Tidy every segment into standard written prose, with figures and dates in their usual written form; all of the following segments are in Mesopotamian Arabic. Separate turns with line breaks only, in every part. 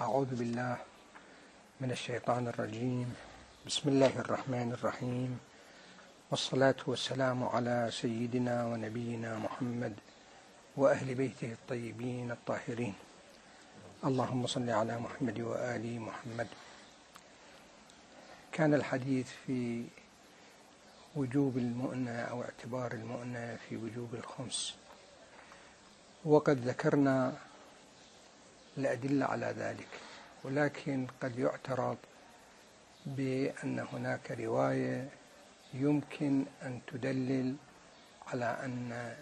أعوذ بالله من الشيطان الرجيم. بسم الله الرحمن الرحيم، والصلاة والسلام على سيدنا ونبينا محمد وأهل بيته الطيبين الطاهرين. اللهم صل على محمد وآل محمد. كان الحديث في وجوب المؤنة أو اعتبار المؤنة في وجوب الخمس، وقد ذكرنا الأدلة على ذلك، ولكن قد يعترض بأن هناك رواية يمكن أن تدلل على أن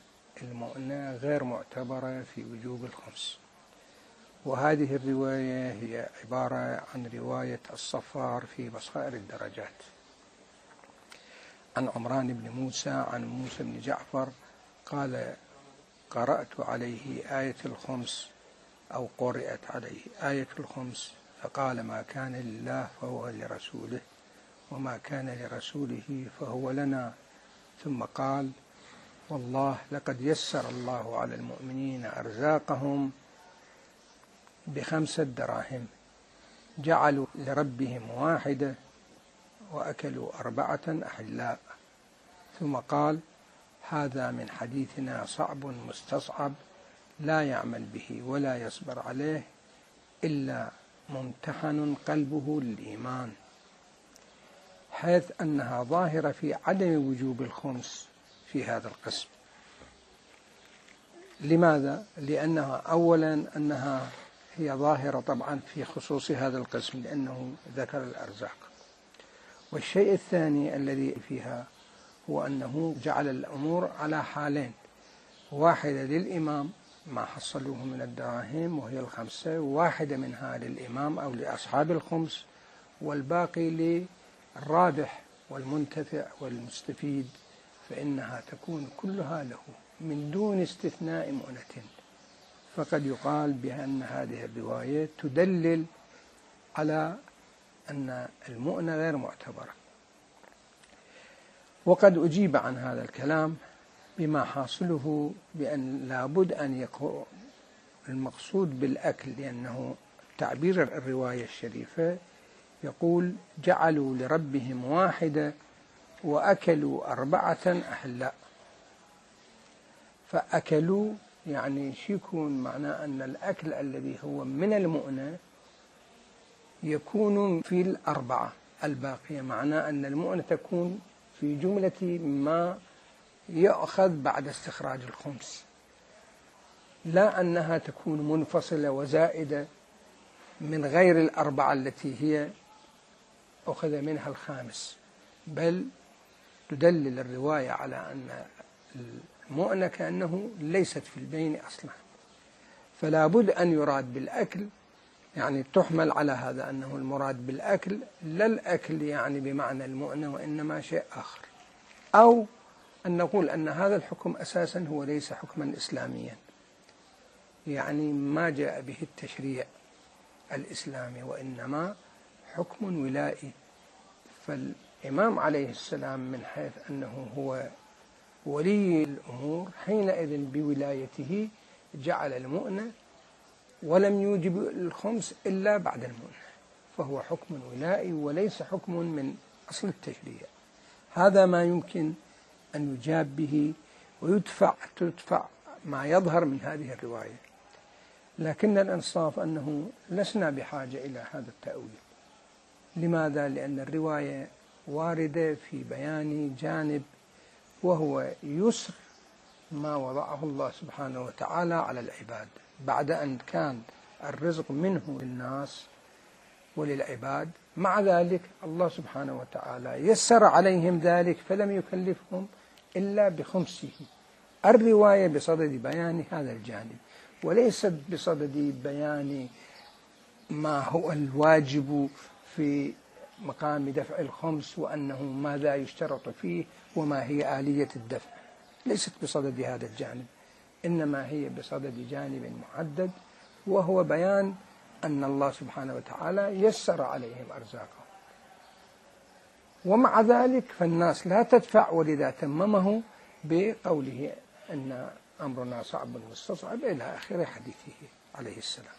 المؤنة غير معتبرة في وجوب الخمس، وهذه الرواية هي عبارة عن رواية الصفار في بصائر الدرجات عن عمران بن موسى عن موسى بن جعفر قال: قرأت عليه آية الخمس أو قرأت عليه آية الخمس فقال: ما كان لله فهو لرسوله، وما كان لرسوله فهو لنا. ثم قال: والله لقد يسر الله على المؤمنين أرزاقهم ب5 دراهم، جعلوا لربهم 1 وأكلوا 4 أحلاء. ثم قال: هذا من حديثنا صعب مستصعب، لا يعمل به ولا يصبر عليه إلا ممتحن قلبه للإيمان، حيث أنها ظاهرة في عدم وجوب الخمس في هذا القسم. لماذا؟ لأنها أولا أنها هي ظاهرة طبعا في خصوص هذا القسم لأنه ذكر الأرزاق، والشيء الثاني الذي فيها هو أنه جعل الأمور على حالين: واحدة للإمام ما حصلوه من الدراهم وهي 5، واحدة منها للإمام أو لأصحاب الخمس، والباقي للرابح والمنتفع والمستفيد، فإنها تكون كلها له من دون استثناء مؤنة. فقد يقال بأن هذه الرواية تدلل على أن المؤنة غير معتبرة. وقد أجيب عن هذا الكلام بما حاصله بأن لابد أن يكون المقصود بالأكل، لأنه تعبير الرواية الشريفة يقول: جعلوا لربهم 1 وأكلوا 4 أحلاء. فأكلوا يعني يكون معناه أن الأكل الذي هو من المؤنة يكون في 4 الباقية، معناه أن المؤنة تكون في جملة ما يأخذ بعد استخراج الخمس، لا أنها تكون منفصلة وزائدة من غير 4 التي هي أخذ منها 5، بل تدلل الرواية على أن المؤنة كأنه ليست في البين أصلا. فلا بد أن يراد بالأكل، يعني تحمل على هذا أنه المراد بالأكل لا الأكل يعني بمعنى المؤنة وإنما شيء آخر، أو أن نقول أن هذا الحكم أساسا هو ليس حكما إسلاميا، يعني ما جاء به التشريع الإسلامي وإنما حكم ولائي. فالإمام عليه السلام من حيث أنه هو ولي الأمور حينئذ بولايته جعل المؤنة ولم يوجب الخمس إلا بعد المؤنة، فهو حكم ولائي وليس حكم من أصل التشريع. هذا ما يمكن أن يجاب به تدفع ما يظهر من هذه الرواية. لكن الإنصاف أنه لسنا بحاجة إلى هذا التأويل. لماذا؟ لأن الرواية واردة في بيان جانب، وهو يسر ما وضعه الله سبحانه وتعالى على العباد بعد أن كان الرزق منه للناس وللعباد. مع ذلك الله سبحانه وتعالى يسر عليهم ذلك فلم يكلفهم إلا بخمسه. الرواية بصدد بيان هذا الجانب، وليست بصدد بيان ما هو الواجب في مقام دفع الخمس وأنه ماذا يشترط فيه وما هي آلية الدفع، ليست بصدد هذا الجانب، إنما هي بصدد جانب محدد، وهو بيان أن الله سبحانه وتعالى يسر عليهم أرزاقهم. ومع ذلك فالناس لا تدفع، ولذا تممه بقوله أن أمرنا صعب مستصعب إلى آخر حديثه عليه السلام.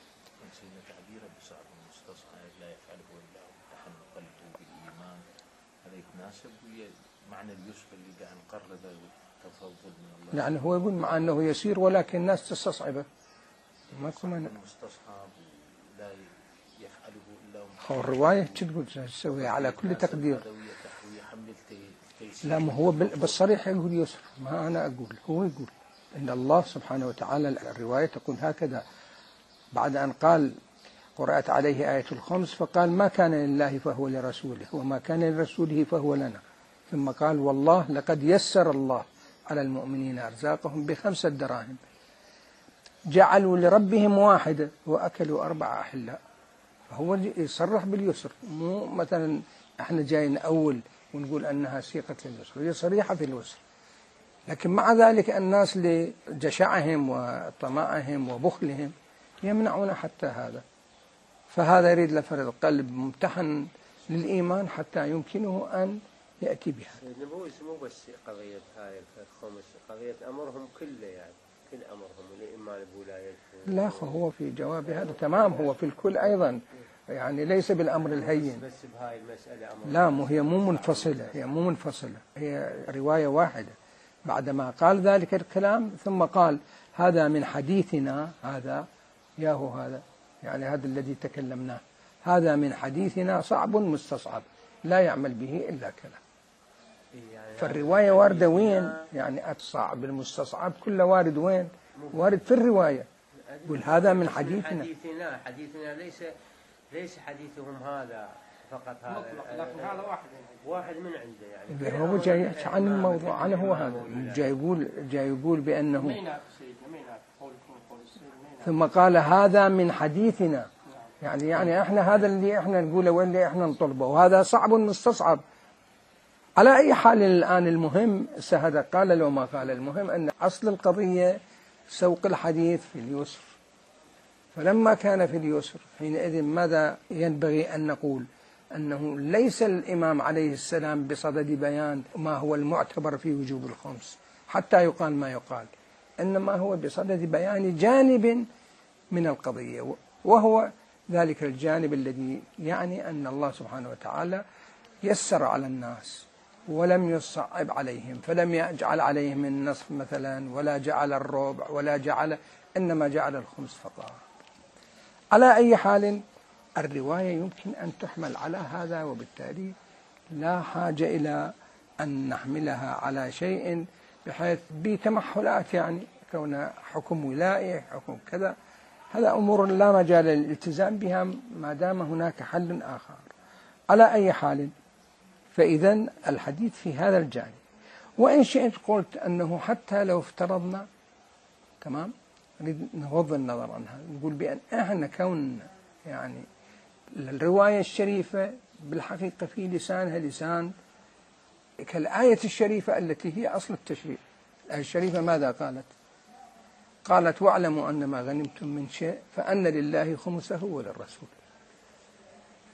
يتناسب ويا معنى اليسر اللي قاعد نقربه والتفضل من الله.
يعني هو يقول مع أنه يسير ولكن الناس تستصعبه.
ماكو مستصعب ولا يفعله إلا
هو الرواية تقول تسوي على كل تقدير. لا، ما هو بالصريح يقول يسر، ما أنا أقول، هو يقول إن الله سبحانه وتعالى الرواية تقول هكذا بعد أن قال قرأت عليه آية الخمس فقال ما كان لله فهو لرسوله وما كان لرسوله فهو لنا، ثم قال والله لقد يسر الله على المؤمنين أرزاقهم ب5 دراهم جعلوا لربهم واحدة وأكلوا 4 أحلاء. فهو يصرح باليسر، مو مثلا احنا جايين أول ونقول أنها سيقة لليسر، هي صريحة في اليسر. لكن مع ذلك الناس لجشعهم وطمعهم وبخلهم يمنعون حتى هذا. فهذا يريد لفرد القلب ممتحن للإيمان حتى يمكنه أن يأتي بها.
مو بس قضية هاي الخمس، قضية أمرهم كله، يعني كل أمرهم الإيمان بولايتهم.
لا، هو في جواب هذا تمام، هو في الكل أيضا، يعني ليس بالأمر الهين.
بس بهاي المسألة أمر.
لا، هي مو منفصلة، هي مو منفصلة، هي رواية واحدة. بعدما قال ذلك الكلام ثم قال هذا من حديثنا، هذا ياهو هذا، يعني هذا الذي تكلمناه، هذا من حديثنا صعب مستصعب لا يعمل به إلا كلام. يعني فالرواية واردة وين؟ يعني الصعب المستصعب كله وارد وين؟ وارد في الرواية. يقول هذا من حديثنا.
حديثنا ليس حديثهم هذا فقط، هذا
لكن هذا
واحد من عنده، يعني
هو جاي عن الموضوع، عنه هو هذا جاي يقول بأنه ثم قال هذا من حديثنا، يعني احنا هذا اللي احنا نقوله واللي احنا نطلبه، وهذا صعب مستصعب. على أي حال الآن المهم هذا قال لو ما قال، المهم أن أصل القضية سوق الحديث في اليسر. فلما كان في اليسر حينئذ ماذا ينبغي أن نقول؟ أنه ليس الإمام عليه السلام بصدد بيان ما هو المعتبر في وجوب الخمس حتى يقال ما يقال، إنما هو بصدد بيان جانب من القضية، وهو ذلك الجانب الذي يعني أن الله سبحانه وتعالى يسر على الناس ولم يصعب عليهم، فلم يجعل عليهم النصف مثلا ولا جعل الربع ولا جعل، إنما جعل الخمس فقط. على أي حال الرواية يمكن أن تحمل على هذا، وبالتالي لا حاجة إلى أن نحملها على شيء بحيث بتمحلات، يعني كون حكم ولائي حكم كذا، هذا أمور لا مجال للالتزام بها ما دام هناك حل آخر. على أي حال فإذا الحديث في هذا الجانب. وإن شئت قلت أنه حتى لو افترضنا، تمام، نريد نغض النظر عنها، نقول بأن احنا كون يعني الرواية الشريفة بالحقيقة في لسانها لسان كالآية الشريفة التي هي أصل التشريع. الآية الشريفة ماذا قالت؟ قالت واعلموا أن ما غنمتم من شيء فأن لله خمسه وللرسول.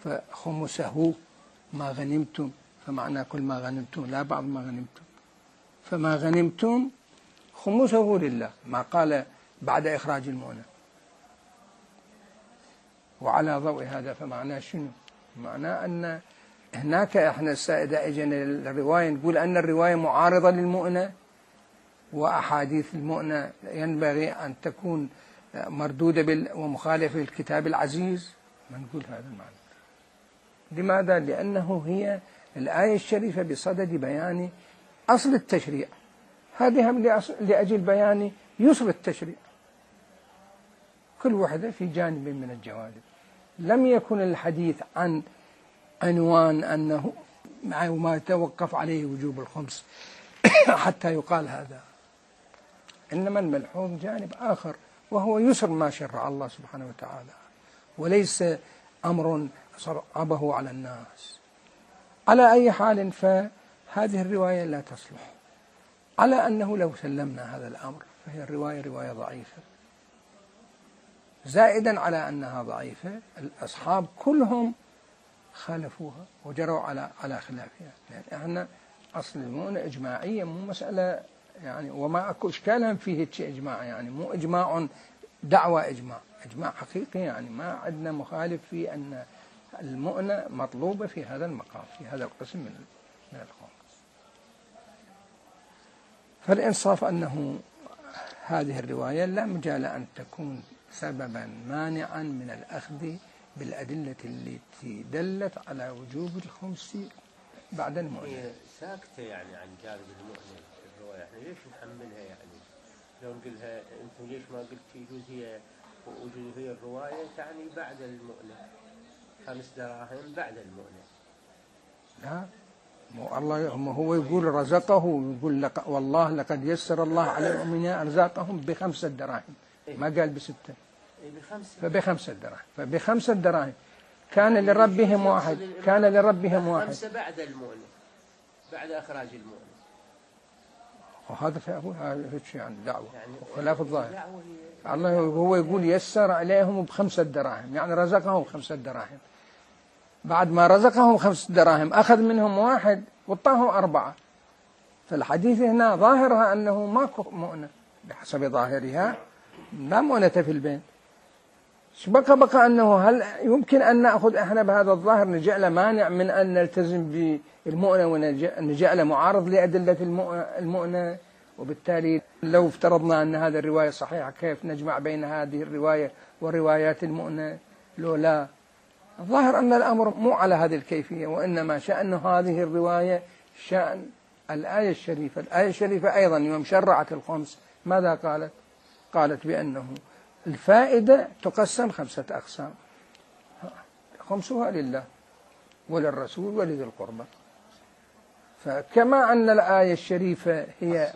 فخمسه ما غنمتم، فمعنى كل ما غنمتم لا بعض ما غنمتم، فما غنمتم خمسه لله، ما قال بعد إخراج المؤنة. وعلى ضوء هذا فمعناه شنو؟ معناه أن هناك احنا إذا اجينا الرواية نقول أن الرواية معارضة للمؤنة، وأحاديث المؤنة ينبغي أن تكون مردودة ومخالفة للكتاب العزيز، ما نقول هذا المعنى. لماذا؟ لأنه هي الآية الشريفة بصدد بيان أصل التشريع، هذه لأجل بيان يسر التشريع، كل واحدة في جانب من الجوانب. لم يكن الحديث عن عنوان أنه ما يتوقف عليه وجوب الخمس حتى يقال هذا، إنما الملحوظ جانب آخر وهو يسر ما شرع الله سبحانه وتعالى، وليس أمر صعبه على الناس. على أي حال فهذه الرواية لا تصلح، على أنه لو سلمنا هذا الأمر فهي الرواية رواية ضعيفة، زائدا على أنها ضعيفة الأصحاب كلهم خالفوها وجروا على خلافها، لأن احنا أصل المؤنة إجماعية، مو مسألة يعني، وما أكو إشكالا فيه إجماع، يعني مو إجماع دعوة، إجماع حقيقي، يعني ما عندنا مخالف في أن المؤنة مطلوبة في هذا المقام، في هذا القسم من الخمس. فالإنصاف أنه هذه الرواية لا مجال أن تكون سببا مانعا من الأخذ بالأدلة التي دلت على وجوب الخمس بعد المؤنة.
هي ساكتة يعني عن جانب المؤنة الرواية، احنا ليش نحملها يعني؟ لو نقولها انتم ليش ما قلت يجوز هي وجود هي الرواية تعني بعد المؤنة 5 دراهم بعد المؤنة؟
لا، الله هو يقول رزقه، يقول والله لقد يسر الله على المؤمنين أرزاقهم ب5 دراهم، ما قال ب6. فب5 دراهم، فب5 دراهم كان لربهم واحد، كان لربهم واحد.
5 بعد المؤنة، بعد إخراج المؤنة.
وهذا شيء يعني دعوة خلاف الظاهر. الله هو يقول يسر عليهم ب5 دراهم، يعني رزقهم 5 دراهم. بعد ما رزقهم 5 دراهم أخذ منهم واحد وطاهم 4. فالحديث هنا ظاهرها أنه ماكو مؤنة، بحسب ظاهرها لا مؤنة في البين. بقى أنه هل يمكن أن نأخذ إحنا بهذا الظاهر نجعل مانع من أن نلتزم بالمؤنة ونجعل معارض لأدلة المؤنة؟ وبالتالي لو افترضنا أن هذه الرواية صحيحة كيف نجمع بين هذه الرواية وروايات المؤنة؟ لو لا، الظاهر أن الأمر مو على هذه الكيفية، وإنما شأن هذه الرواية شأن الآية الشريفة. الآية الشريفة أيضا يوم شرعت الخمس ماذا قالت؟ قالت بأنه الفائدة تقسم 5 أقسام، خمسها لله وللرسول ولذي القربى. فكما أن الآية الشريفة هي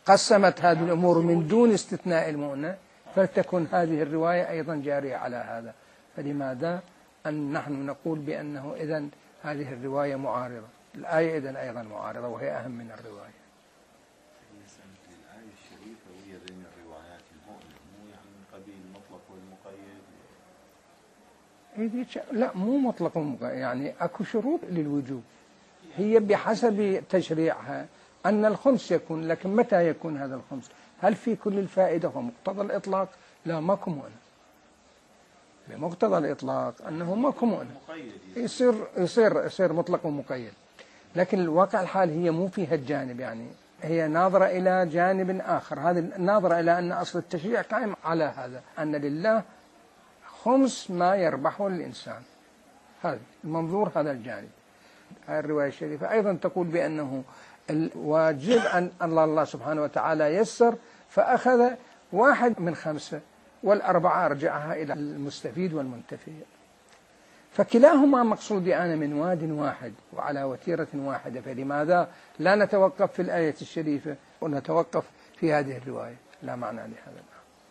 قسمت هذه الأمور من دون استثناء المؤنة، فلتكن هذه الرواية أيضا جارية على هذا. فلماذا أن نحن نقول بأنه إذن هذه الرواية معارضة؟ الآية إذن أيضا معارضة وهي أهم من الرواية.
الآية الشريفة وهي بين الروايات المؤنة، مو يعني من قبيل المطلق والمقيد؟
لا، مو مطلق ومقيد، يعني أكو شروط للوجوب، هي بحسب تشريعها أن الخمس يكون، لكن متى يكون هذا الخمس؟ هل في كل الفائدة ومقتضى الإطلاق؟ لا، ماكو مؤنة. بمقتضى الإطلاق أنه ماكو مؤنة، يصير مطلق ومقيد. لكن الواقع الحال هي مو فيها الجانب، يعني هي ناظرة إلى جانب آخر. هذه ناظرة إلى أن أصل التشريع قائم على هذا، أن لله خمس ما يربحه الإنسان. هذا المنظور، هذا الجانب. هذه الرواية الشريفة أيضا تقول بأنه الواجب أن الله سبحانه وتعالى يسر فأخذ 1 من 5 والأربعة أرجعها إلى المستفيد والمنتفع. فكلاهما مقصودان من واد واحد وعلى وتيرة واحدة، فلماذا لا نتوقف في الآية الشريفة ونتوقف في هذه الرواية؟ لا معنى لهذا،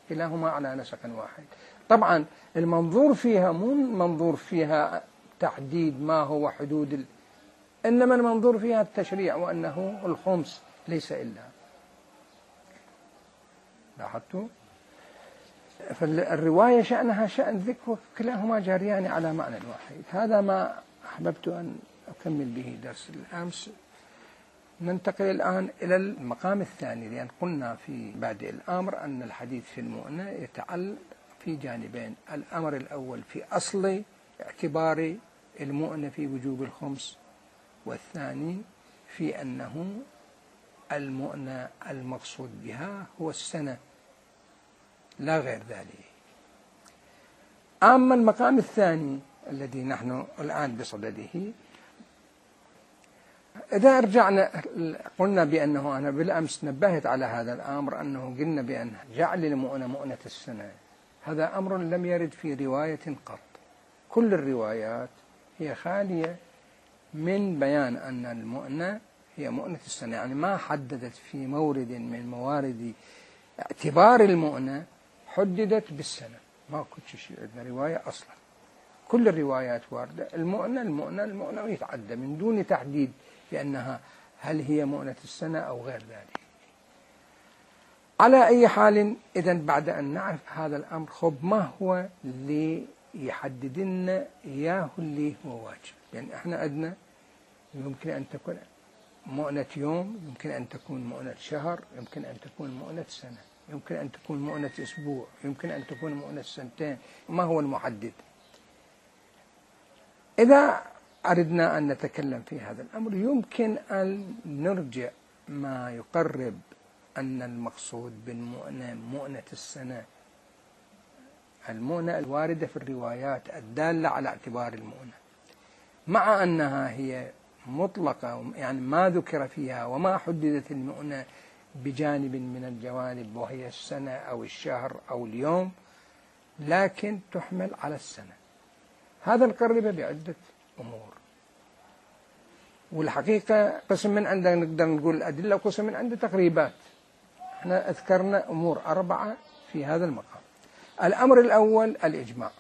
كلاهما على نسق واحد. طبعا المنظور فيها مو منظور فيها تحديد ما هو حدود إنما المنظور فيها التشريع، وأنه الخمس ليس إلا. لاحظتوا؟ فالرواية شأنها شأن ذكر، كلاهما جاريان على معنى واحد. هذا ما أحببت أن أكمل به درس الأمس. ننتقل الآن إلى المقام الثاني، لأن قلنا في بادئ الأمر أن الحديث في المؤنة يتعلق في جانبين: الأمر الأول في أصل اعتبار المؤنة في وجوب الخمس، والثاني في أنه المؤنة المقصود بها هو السنة لا غير ذلك. أما المقام الثاني الذي نحن الآن بصدده، إذا رجعنا قلنا بأنه، أنا بالأمس نبهت على هذا الأمر، أنه قلنا بأن جعل المؤنة مؤنة السنة هذا أمر لم يرد في رواية قط. كل الروايات هي خالية من بيان أن المؤنة هي مؤنة السنة، يعني ما حددت في مورد من موارد اعتبار المؤنة حددت بالسنة. ما كنت شيء عندنا رواية أصلا، كل الروايات واردة المؤنة ويتعدى من دون تحديد بأنها هل هي مؤنة السنة أو غير ذلك. على أي حال، إذن بعد أن نعرف هذا الأمر، خب ما هو اللي يحدد لنا إياه اللي هو واجب؟ لأن يعني إحنا عندنا يمكن أن تكون مؤنة يوم، يمكن أن تكون مؤنة شهر، يمكن أن تكون مؤنة سنة، يمكن أن تكون مؤنة أسبوع، يمكن أن تكون مؤنة سنتين. ما هو المحدد؟ إذا أردنا أن نتكلم في هذا الأمر يمكن أن نرجع ما يقرب أن المقصود بالمؤنة مؤنة السنة، المؤنة الواردة في الروايات الدالة على اعتبار المؤنة، مع أنها هي مطلقة يعني ما ذكر فيها وما حددت المؤنة بجانب من الجوانب وهي السنة أو الشهر أو اليوم، لكن تحمل على السنة. هذا نقربه بعدة أمور، والحقيقة قسم من عنده نقدر نقول الأدلة وقسم من عنده تقريبات. احنا أذكرنا أمور 4 في هذا المقام. الأمر الأول الإجماع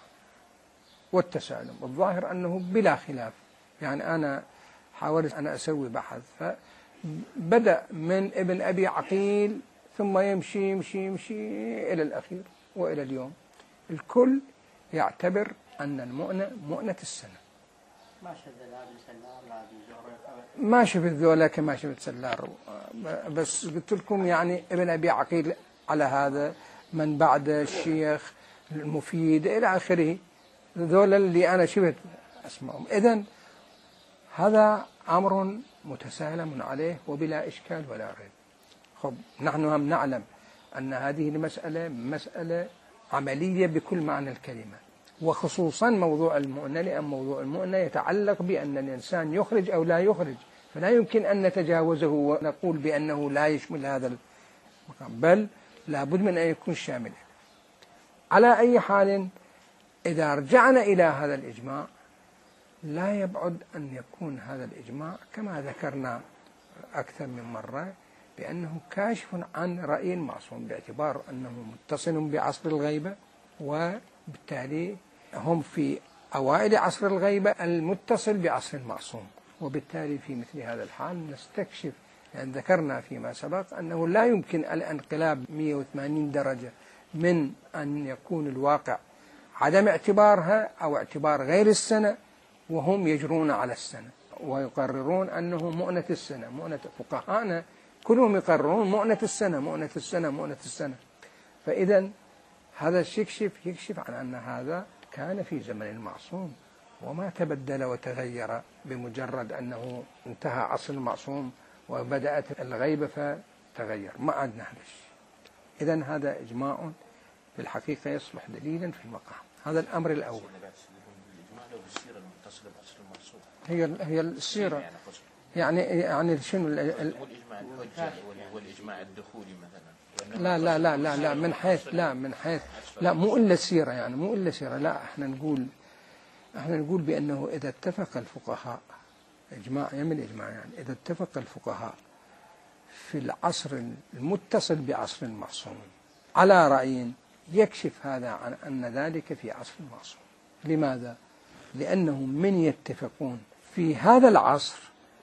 والتسالم، الظاهر أنه بلا خلاف، يعني أنا حاولت أن أسوي بحث فبدأ من ابن أبي عقيل ثم يمشي يمشي يمشي إلى الأخير وإلى اليوم، الكل يعتبر أن المؤنة مؤنة السنة. ما شفت ذولا كما شفت سلار، بس قلت لكم يعني ابن أبي عقيل على هذا، من بعد الشيخ المفيد إلى آخره، ذولا اللي أنا شفت أسمائهم. إذن هذا أمر متسالم عليه وبلا إشكال ولا ريب. خب نحن هم نعلم أن هذه المسألة مسألة عملية بكل معنى الكلمة، وخصوصا موضوع المؤنة، لأن موضوع المؤنة يتعلق بأن الإنسان يخرج أو لا يخرج، فلا يمكن أن نتجاوزه ونقول بأنه لا يشمل هذا المقام، بل لابد من أن يكون شاملا. على أي حال إذا رجعنا إلى هذا الإجماع لا يبعد أن يكون هذا الإجماع كما ذكرنا أكثر من مرة بأنه كاشف عن رأي المعصوم، باعتبار أنه متصل بعصر الغيبة، وبالتالي هم في أوائل عصر الغيبة المتصل بعصر المعصوم، وبالتالي في مثل هذا الحال نستكشف، لأن ذكرنا فيما سبق أنه لا يمكن الانقلاب 180 درجة من أن يكون الواقع عدم اعتبارها أو اعتبار غير السنة وهم يجرون على السنة ويقررون أنه مؤنة السنة. مؤنة فقهاءنا كلهم يقررون مؤنة السنة مؤنة السنة مؤنة السنة. فإذا هذا يكشف عن أن هذا كان في زمن المعصوم وما تبدل وتغير بمجرد أنه انتهى عصر المعصوم وبدأت الغيبة فتغير، ما عندنا هذا الشيء. إذن هذا إجماع في الحقيقة يصلح دليلا في المقام. هذا الأمر الأول. هي السيرة يعني شنو
والإجماع الحجة والإجماع الدخولي مثلا.
لا من حيث لا مو إلا السيرة، يعني مو إلا سيرة، لا احنا نقول بأنه إذا اتفق الفقهاء إجماع يمن إجماع، يعني إذا اتفق الفقهاء في العصر المتصل بعصر المعصوم على رأي يكشف هذا عن أن ذلك في عصر المعصوم. لماذا؟ لأنهم من يتفقون في هذا العصر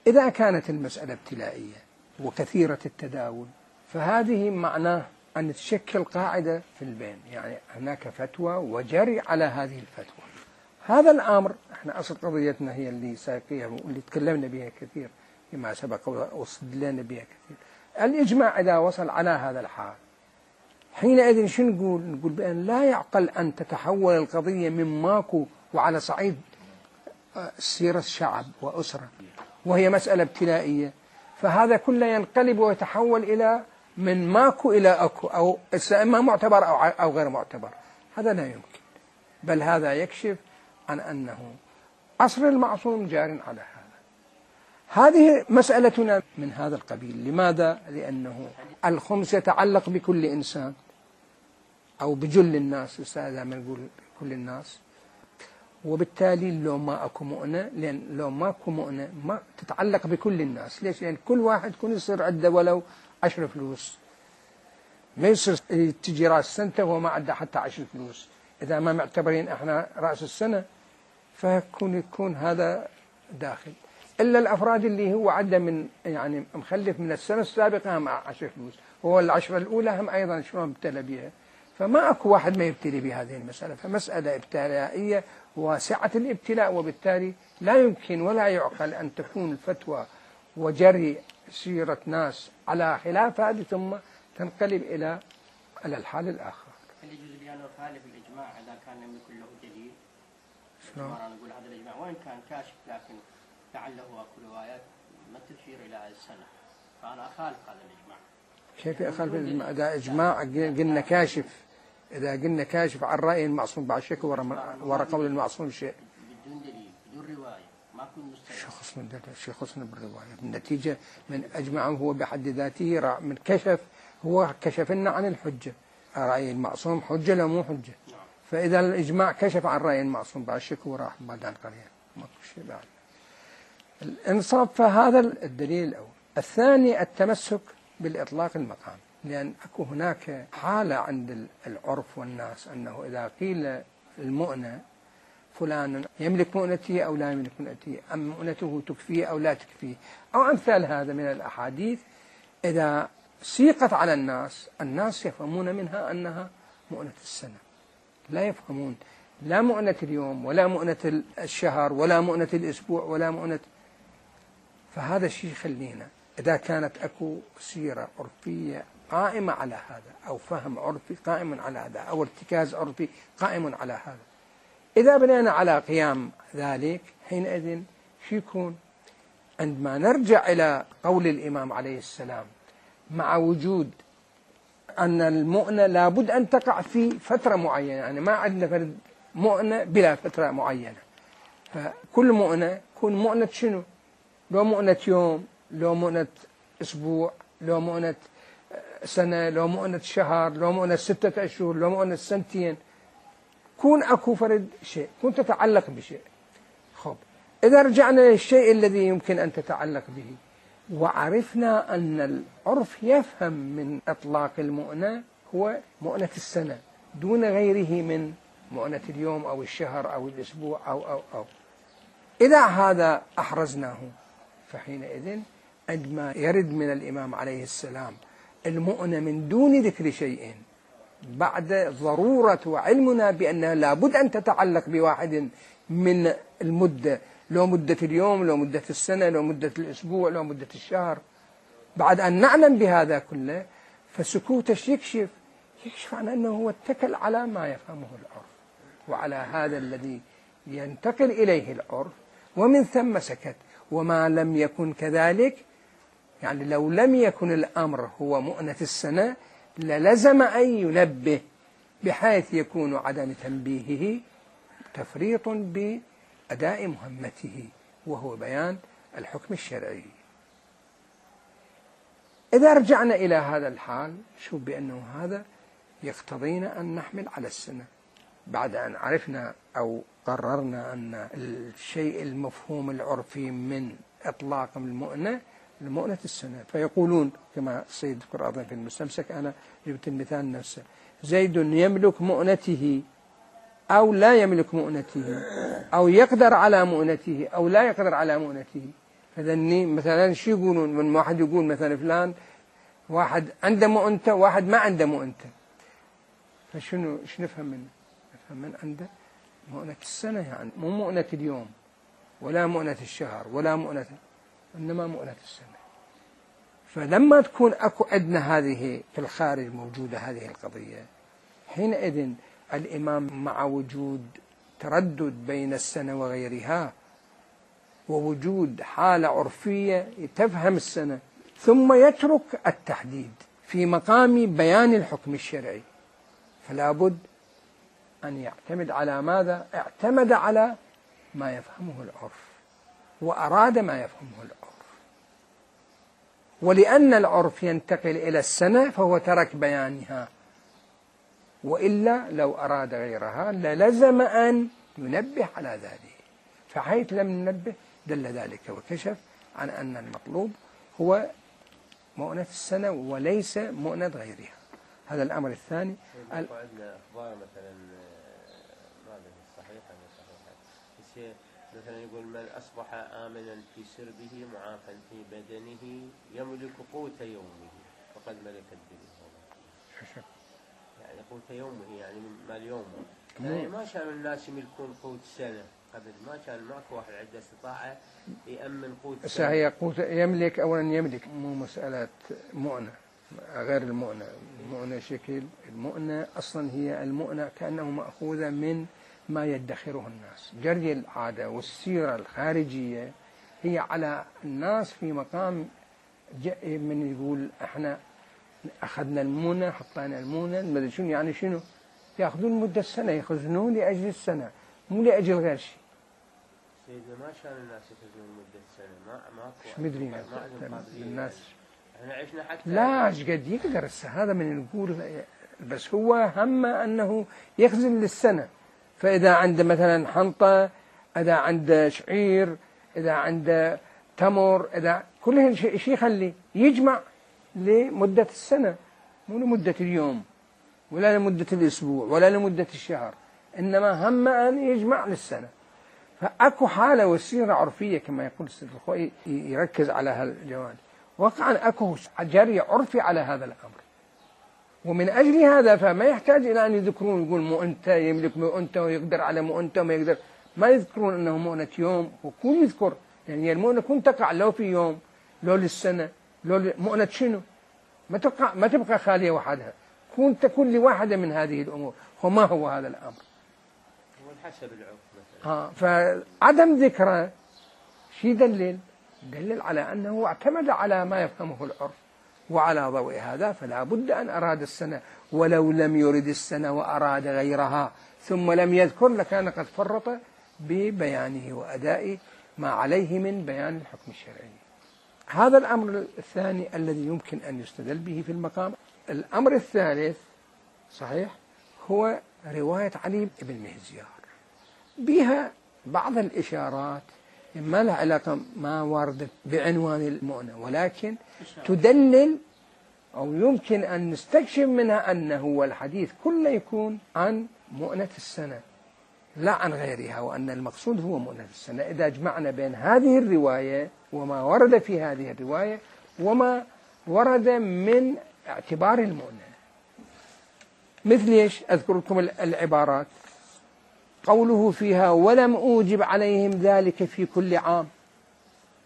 إذا كانت المسألة ابتلائية وكثيرة التداول، فهذه معناه أن تشكل قاعدة في البين، يعني هناك فتوى وجري على هذه الفتوى. هذا الأمر احنا أصل قضيتنا هي اللي ساقيها واللي تكلمنا بها كثير فيما سبق واستدلنا بها كثير. الإجماع إذا وصل على هذا الحال حينئذ شو نقول بأن لا يعقل أن تتحول القضية من ماكو وعلى صعيد سيرة شعب وأسرة وهي مسألة ابتلائية، فهذا كله ينقلب ويتحول إلى من ماكو إلى أكو، أو إما معتبر أو غير معتبر. هذا لا يمكن، بل هذا يكشف عن أنه عصر المعصوم جار على هذا. هذه مسألتنا من هذا القبيل. لماذا؟ لأنه الخمس يتعلق بكل إنسان أو بجل الناس، إذا ما نقول كل الناس، وبالتالي لو ما أكو مؤنة، لأن لو ما أكو مؤنة ما تتعلق بكل الناس. ليش؟ لأن كل واحد يكون يصير عنده ولو 10 فلوس، ما يصير تجي رأس سنته وما عنده حتى 10 فلوس. إذا ما معتبرين إحنا رأس السنة يكون هذا داخل، إلا الأفراد اللي هو عنده من يعني مخلف من السنة السابقة هم 10 فلوس، هو العشرة الأولى هم أيضا شلون ابتلى بها. فما أكو واحد ما يبتلي بهذه المسألة، فمسألة ابتلائية واسعة الابتلاء، وبالتالي لا يمكن ولا يعقل أن تكون الفتوى وجري سيرة ناس على خلاف هذه ثم تنقلب إلى الحال الآخر.
هل يجوز بأن يخالف الإجماع إذا كان لم يكن له دليل؟
شلون؟
انا اقول هذا الاجماع وين كان كاشف، لكن لعله اكو روايات ما تشير الى السنه، فانا اخالف هذا الاجماع.
كيف اخالف الاجماع؟ اذا اجماع قلنا كاشف، اذا قلنا كاشف عن راي المعصوم بعد شك ورا قول المعصوم شيء.
بدون دليل، بدون روايه، ما كل مستند.
شو خصنا بالروايه؟ بالنتيجه من اجمع هو بحد ذاته من كشف، هو كشف لنا عن الحجه. راي المعصوم حجه لا مو حجه. فاذا الاجماع كشف عن راي المعصوم بعد شك وراح بعد عن قريه ماكو شيء بعد. الانصاف، فهذا الدليل الاول. الثاني التمسك بالاطلاق المقام، لان اكو هناك حاله عند العرف والناس انه اذا قيل المؤنة فلان يملك مؤنته أو لا يملك مؤنته، أم مؤنته تكفيه أو لا تكفيه، أو أمثال هذا من الأحاديث، إذا سيقت على الناس يفهمون منها أنها مؤنة السنة، لا يفهمون لا مؤنة اليوم ولا مؤنة الشهر ولا مؤنة الأسبوع ولا مؤنة. فهذا الشيء يخلينا إذا كانت أكو سيرة عرفية قائمة على هذا، أو فهم عرفي قائم على هذا، أو ارتكاز عرفي قائم على هذا، إذا بنينا على قيام ذلك حينئذ شو يكون؟ عندما نرجع إلى قول الإمام عليه السلام مع وجود أن المؤنة لابد أن تقع في فترة معينة، يعني ما عندنا فرد مؤنة بلا فترة معينة، فكل مؤنة تكون مؤنة شنو؟ لو مؤنة يوم، لو مؤنة أسبوع، لو مؤنة سنة، لو مؤنة شهر، لو مؤنة 6 أشهر، لو مؤنة سنتين، كون أكو فرد شيء، كون تتعلق بشيء. خب إذا رجعنا للشيء الذي يمكن أن تتعلق به، وعرفنا أن العرف يفهم من إطلاق المؤنة هو مؤنة السنة دون غيره من مؤنة اليوم أو الشهر أو الأسبوع أو إذا هذا أحرزناه، فحينئذ عندما يرد من الإمام عليه السلام المؤنة من دون ذكر شيء بعد ضرورة وعلمنا بأنها لابد أن تتعلق بواحد من المدة، لو مدة اليوم، لو مدة السنة، لو مدة الأسبوع، لو مدة الشهر، بعد أن نعلم بهذا كله، فسكوتش يكشف عن أنه هو اتكل على ما يفهمه العرف وعلى هذا الذي ينتقل إليه العرف، ومن ثم سكت. وما لم يكن كذلك، يعني لو لم يكن الأمر هو مؤنة السنة للزم أن ينبه، بحيث يكون عدم تنبيهه تفريط بأداء مهمته وهو بيان الحكم الشرعي. إذا رجعنا إلى هذا الحال شوف بأنه هذا يقتضينا أن نحمل على السنة بعد أن عرفنا أو قررنا أن الشيء المفهوم العرفي من إطلاق المؤنة لمؤنة السنة. فيقولون كما السيد ذكر في المستمسك، أنا جبت المثال نفسه، زيد يملك مؤنته أو لا يملك مؤنته، أو يقدر على مؤنته أو لا يقدر على مؤنته. فذني مثلا شو يقولون؟ من واحد يقول مثلا فلان واحد عنده مؤنته واحد ما عنده مؤنته، فشنو نفهم منه؟ نفهم من عنده مؤنة السنة، يعني مو مؤنة اليوم ولا مؤنة الشهر ولا مؤنة، إنما مؤنة السنة. فلما تكون أكو عندنا هذه في الخارج موجودة هذه القضية، حينئذ الإمام مع وجود تردد بين السنة وغيرها ووجود حالة عرفية تفهم السنة، ثم يترك التحديد في مقام بيان الحكم الشرعي، فلا بد أن يعتمد على ماذا؟ اعتمد على ما يفهمه العرف وأراد ما يفهمه العرف. ولأن العرف ينتقل إلى السنة فهو ترك بيانها، وإلا لو أراد غيرها للزم أن ينبه على ذلك، فحيث لم ننبه دل ذلك وكشف عن أن المطلوب هو مؤنة السنة وليس مؤنة غيرها. هذا الأمر الثاني.
عندنا أخبار مثلا ما صحيحة مثلا يقول من أصبح آمنا في سربه معافا في بدنه يملك قوت يومه فقد ملك الدنيا. يعني قوت يومه يعني مال يومه، يعني ما كانوا الناس يملكون قوت سنة قبل، ما كان ماكو واحد عنده استطاعة يأمن قوت سنة.
هي قوت يملك، أولا يملك مو مسألة مؤنة غير المؤنة. المؤنة شكل، المؤنة أصلا هي المؤنة كأنه مأخوذة من ما يدخره الناس. جري العادة والسيرة الخارجية هي على الناس في مقام من يقول احنا اخذنا المونة، حطينا المونة، ما شنو يعني شنو ياخذون مدة السنة، يخزنون لأجل السنة مو لأجل غير شيء.
سيدنا ما شان الناس يخزنون مدة السنة، ماكو
ايش مدري الناس
احنا عشنا حتى
لا ايش قد يقدر هذا من نقول، بس هو همه انه يخزن للسنة. فإذا عنده مثلا حنطة، إذا عنده شعير، إذا عنده تمر، إذا كل شيء يخلي يجمع لمدة السنة، مو لمدة اليوم ولا لمدة الأسبوع ولا لمدة الشهر، إنما هم أن يجمع للسنة. فأكو حالة وسيرة عرفية كما يقول السيد الخوئي يركز على هالجوانب. وقعا أكو جري عرفي على هذا الأمر، ومن أجل هذا فما يحتاج إلى أن يذكرون يقول مؤنته يملك مؤنته ويقدر على مؤنته وما يقدر، ما يذكرون أنه مؤنة يوم، وكون يذكر يعني المؤنة كون تقع لو في يوم لو للسنة لو مؤنة شنو، ما تبقى خالية وحدها، تكون لواحدة من هذه الأمور. وما هو هذا الأمر؟
هو حسب العرف مثلا.
فعدم ذكره شيء دلل على أنه اعتمد على ما يفهمه العرف، وعلى ضوء هذا فلا بد أن أراد السنة، ولو لم يرد السنة وأراد غيرها ثم لم يذكر لكان قد فرط ببيانه وأداء ما عليه من بيان الحكم الشرعي. هذا الأمر الثاني الذي يمكن أن يستدل به في المقام. الأمر الثالث صحيح هو رواية علي بن مهزيار، بها بعض الإشارات ما لها علاقة ما وردت بعنوان المؤنة، ولكن تدلل أو يمكن أن نستكشف منها أنه والحديث كله يكون عن مؤنة السنة لا عن غيرها، وأن المقصود هو مؤنة السنة. إذا جمعنا بين هذه الرواية وما ورد في هذه الرواية وما ورد من اعتبار المؤنة، مثل ايش؟ أذكر لكم العبارات. قوله فيها ولم أوجب عليهم ذلك في كل عام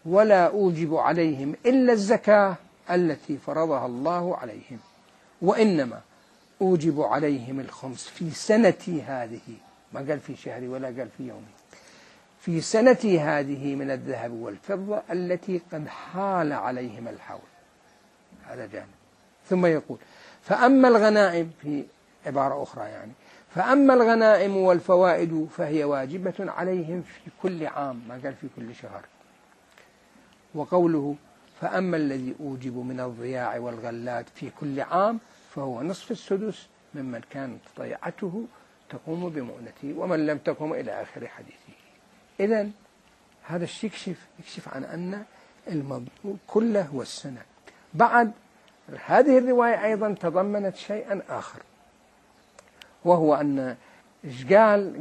ولا أوجب عليهم إلا الزكاة التي فرضها الله عليهم، وإنما أوجب عليهم الخمس في سنتي هذه، ما قال في شهري ولا قال في يومي، في سنتي هذه من الذهب والفضة التي قد حال عليهم الحول. هذا جانب. ثم يقول فأما الغنائم، في عبارة أخرى يعني، فأما الغنائم والفوائد فهي واجبة عليهم في كل عام، ما قال في كل شهر. وقوله فأما الذي أوجب من الضياع والغلات في كل عام فهو نصف السدس ممن كانت ضيعته تقوم بمؤنته ومن لم تقوم إلى آخر حديثه. إذن هذا الشيء يكشف عن أن الموضوع كله هو السنة. بعد هذه الرواية أيضا تضمنت شيئا آخر، وهو أن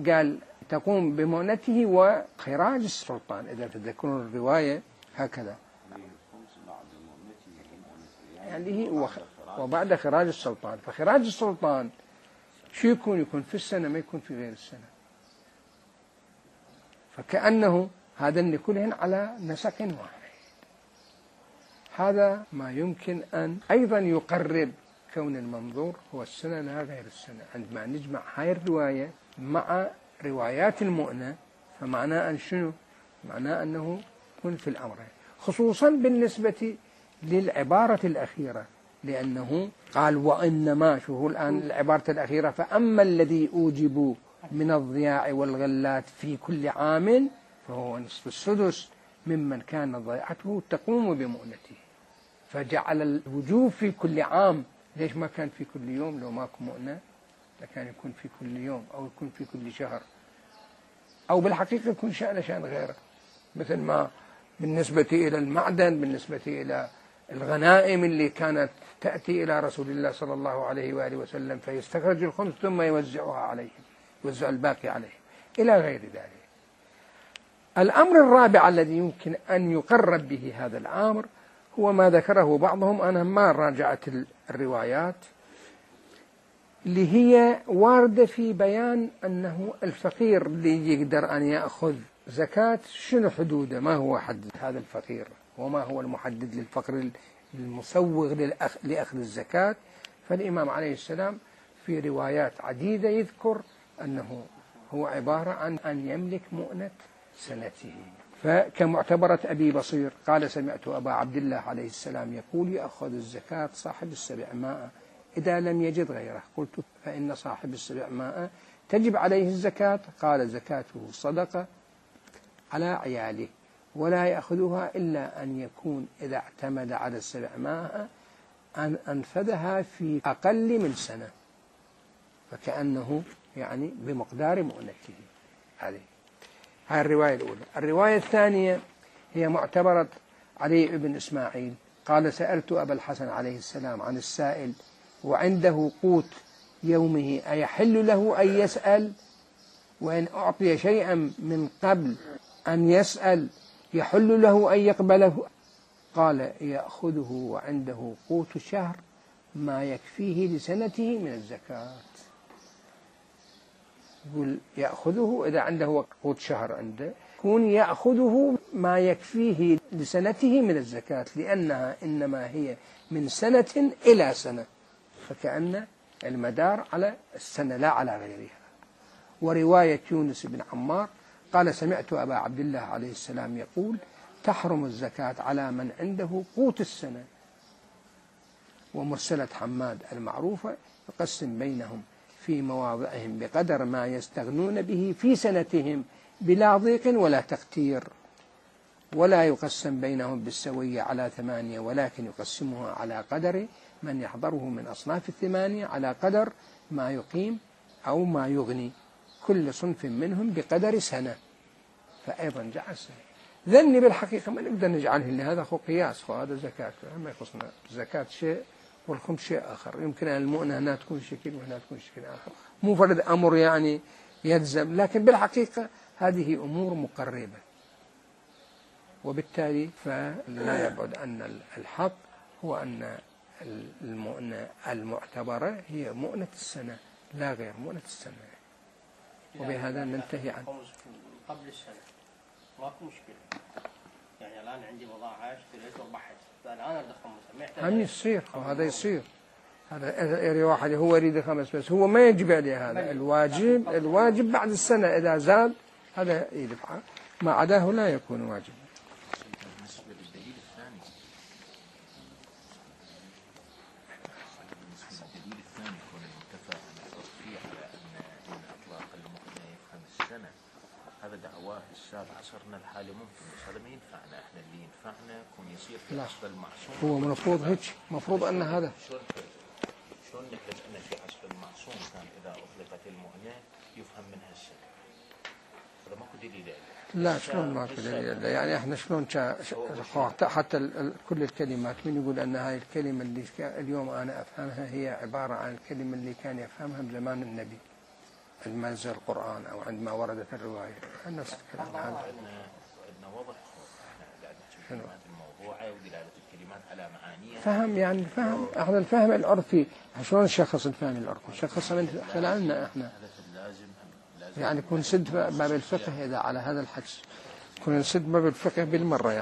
قال تقوم بمؤنته وخراج السلطان. إذا تذكرون الرواية هكذا يعني وبعد خراج السلطان. فخراج السلطان شو يكون في السنة، ما يكون في غير السنة. فكأنه هذا كلهن على نسق واحد. هذا ما يمكن أن أيضا يقرب كون المنظور هو السنة لا غير السنة. عندما نجمع هاي الرواية مع روايات المؤنة فمعناه أن شنو؟ معناه أنه يكون في الأمرين، خصوصا بالنسبة للعبارة الأخيرة، لأنه قال وإنما، شو هو الآن العبارة الأخيرة، فأما الذي أوجب من الضياع والغلات في كل عام فهو نصف السدس ممن كان ضيعته تقوم بمؤنته. فجعل الوجوب في كل عام. ليش ما كان في كل يوم؟ لو ماكو مؤنة لكان يكون في كل يوم أو يكون في كل شهر، أو بالحقيقة يكون شأن غيره، مثل ما بالنسبة إلى المعدن، بالنسبة إلى الغنائم اللي كانت تأتي إلى رسول الله صلى الله عليه وآله وسلم فيستخرج الخمس ثم يوزعها عليهم، يوزع الباقي عليهم إلى غير ذلك. الأمر الرابع الذي يمكن أن يقرب به هذا الأمر هو ما ذكره بعضهم، أنا ما راجعت الروايات اللي هي واردة في بيان أنه الفقير اللي يقدر أن يأخذ زكاة شنو حدوده، ما هو حد هذا الفقير وما هو المحدد للفقر المسوغ لأخذ الزكاة. فالإمام عليه السلام في روايات عديدة يذكر أنه هو عبارة عن أن يملك مؤنة سنته. فكمعتبرة أبي بصير قال سمعت أبا عبد الله عليه السلام يقول يأخذ الزكاة صاحب 700 إذا لم يجد غيره. قلت فإن صاحب 700 تجب عليه الزكاة؟ قال زكاته صدقة على عياله ولا يأخذها إلا أن يكون إذا اعتمد على 700 أن أنفذها في أقل من سنة، فكأنه يعني بمقدار مؤنته. هذه الرواية الأولى. الرواية الثانية هي معتبرة علي بن إسماعيل قال سألت أبا الحسن عليه السلام عن السائل وعنده قوت يومه أيحل له أن يسأل، وإن أعطي شيئا من قبل أن يسأل يحل له أن يقبله؟ قال يأخذه وعنده قوت شهر ما يكفيه لسنته من الزكاة. يقول يأخذه إذا عنده قوت شهر عنده يكون يأخذه ما يكفيه لسنته من الزكاة، لأنها إنما هي من سنة إلى سنة، فكأن المدار على السنة لا على غيرها. ورواية يونس بن عمار قال سمعت أبا عبد الله عليه السلام يقول تحرم الزكاة على من عنده قوت السنة. ومرسلة حماد المعروفة يقسم بينهم في مواضعهم بقدر ما يستغنون به في سنتهم بلا ضيق ولا تقتير، ولا يقسم بينهم بالسوية على 8، ولكن يقسمها على قدر من يحضره من أصناف 8 على قدر ما يقيم أو ما يغني كل صنف منهم بقدر سنة، فأيضا جعل سنة. ذني بالحقيقة ما نقدر نجعله لهذا هو قياس، وهذا زكاة ما يخصنا. الزكاة شيء والخمس شيء آخر. يمكن أن المؤنة هنا تكون شكل وهنا تكون شكل آخر، مو فرد أمر يعني يلزم، لكن بالحقيقة هذه أمور مقربة. وبالتالي فلا يبعد أن الحق هو أن المؤنة المعتبرة هي مؤنة السنة لا غير مؤنة السنة. وبهذا ننتهي عنه.
قبل السنة ماكو مشكلة، يعني الآن عندي بضاعة اشتريت وربحت، فالآن أريد أخمسها.
هم يصير وهذا يصير، هذا واحد هو يريد 5 بس هو ما يجب عليه هذا. الواجب بعد السنة إذا زاد هذا يدفعه، ما عداه لا يكون واجب.
هذا دعواه السابع عصرنا الحالي ممكن، بس هذا ما ينفعنا احنا. اللي ينفعنا يكون يصير في حسب المعصوم.
هو المفروض هيك، المفروض ان هذا
شلون نحتاج ان في حسب المعصوم كان اذا اطلقت المؤنة يفهم منها السنة. هذا ماكو دليل عليه.
لا شلون ماكو دليل؟ يعني احنا شلون حتى كل الكلمات من يقول ان هاي الكلمة اللي اليوم انا افهمها هي عبارة عن الكلمة اللي كان يفهمها بزمان النبي عندما نزل القرآن أو عندما وردت الرواية. نفس الكلام.
عندنا وضح الموضوعة ودلالة الكلمات على معانيها.
فهم يعني فهم. احنا الفهم العرفي شلون نشخص الفهم العرفي؟ نشخصه من خلالنا احنا. يعني كون سد باب الفقه إذا على هذا الحدس كون سد باب الفقه بالمرة يعني.